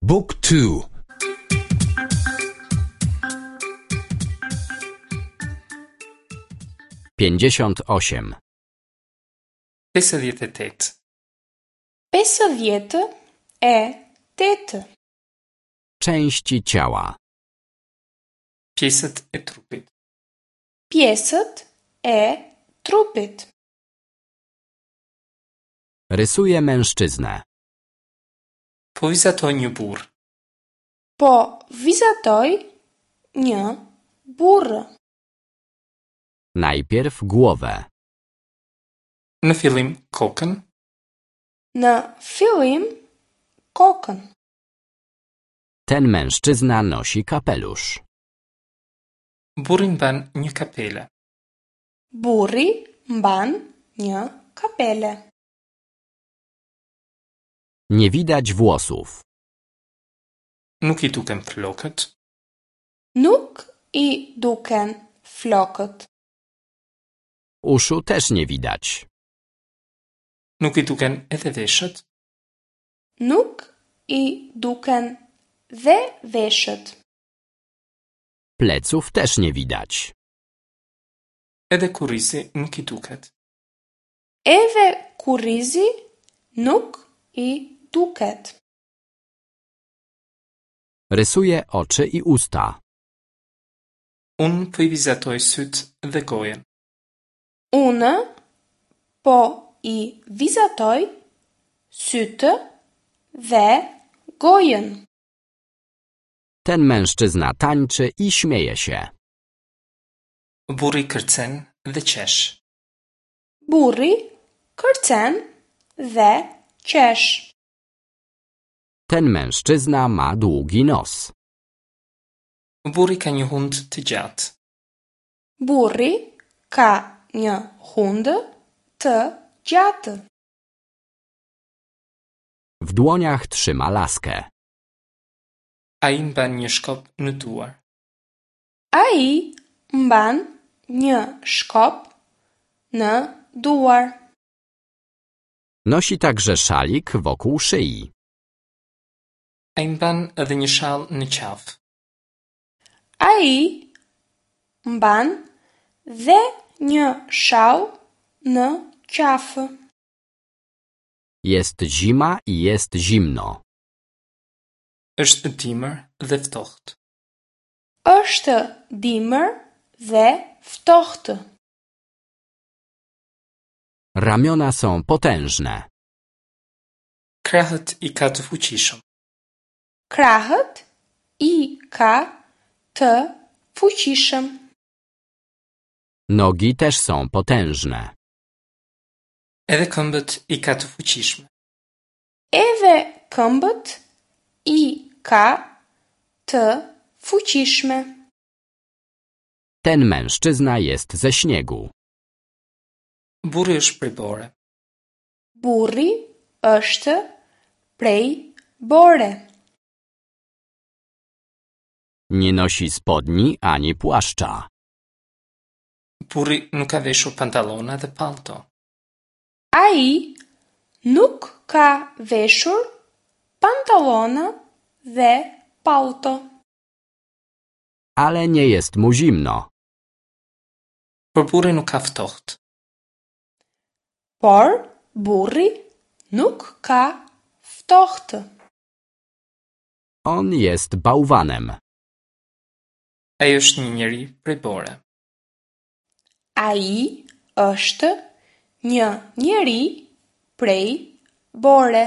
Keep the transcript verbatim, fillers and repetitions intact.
Book two. Pięćdziesiąt osiem. Pesëdhjetë e tetë. Pesëdhjetë e tetë. Części ciała. Pjesët e trupit. Pjesët e trupit. Rysuję mężczyznę. Po vizatoj një burr. Po vizatoj një burr. Najpierw głowę. Në fillim kokën. Në fillim kokën. Ten mężczyzna nosi kapelusz. Burri mban një kapele. Burri mban një kapele. Nie widać włosów. Nuk i duken flokët. Nuk i duken flokët. Uszu też nie widać. Nuk i duken edhe veshët. Nuk i duken dhe veshët. Pleców też nie widać. Edhe kurrizi nuk i duket. Edhe kurrizi nuk i duket. Rysuję oczy i usta. Unë po i vizatoj sytë dhe gojën. Unë po i vizatoj sytë dhe gojën. Ten mężczyzna tańczy i śmieje się. Burri kërcen dhe qesh. Burri kërcen dhe qesh. Ten mężczyzna ma długi nos. Burri ka një hund të gjatë. Burri ka një hundë të gjatë. W dłoniach trzyma laskę. Ai mban një shkop në duar. Ai mban një shkop në duar. Nosi także szalik wokół szyi. Ai mban edhe një shall në qafë. Ai mban dhe një shall në qafë. Jest zima i jest zimno. Është dimër dhe ftohtë. Është dimër dhe ftohtë. Ramiona są potężne. Krahët i ka të fuqishëm. Krahët i ka të fuqishëm. Nogi też są potężne. Edhe këmbët i ka të fuqishme. Edhe këmbët i ka të fuqishme. Ten mężczyzna jest ze śniegu. Burri është prej bore. Burri është prej bore. Nie nosi spodni ani płaszcza. Burri nuk ka veshur pantallona dhe pallto. Ai nuk ka veshur pantallona dhe pallto. Ale nie jest mu zimno. Por burri nuk ka ftohtë. Por burri nuk ka ftohtë. On jest bałwanem. Ai është një njeri prej bore. Ai është një njeri prej bore.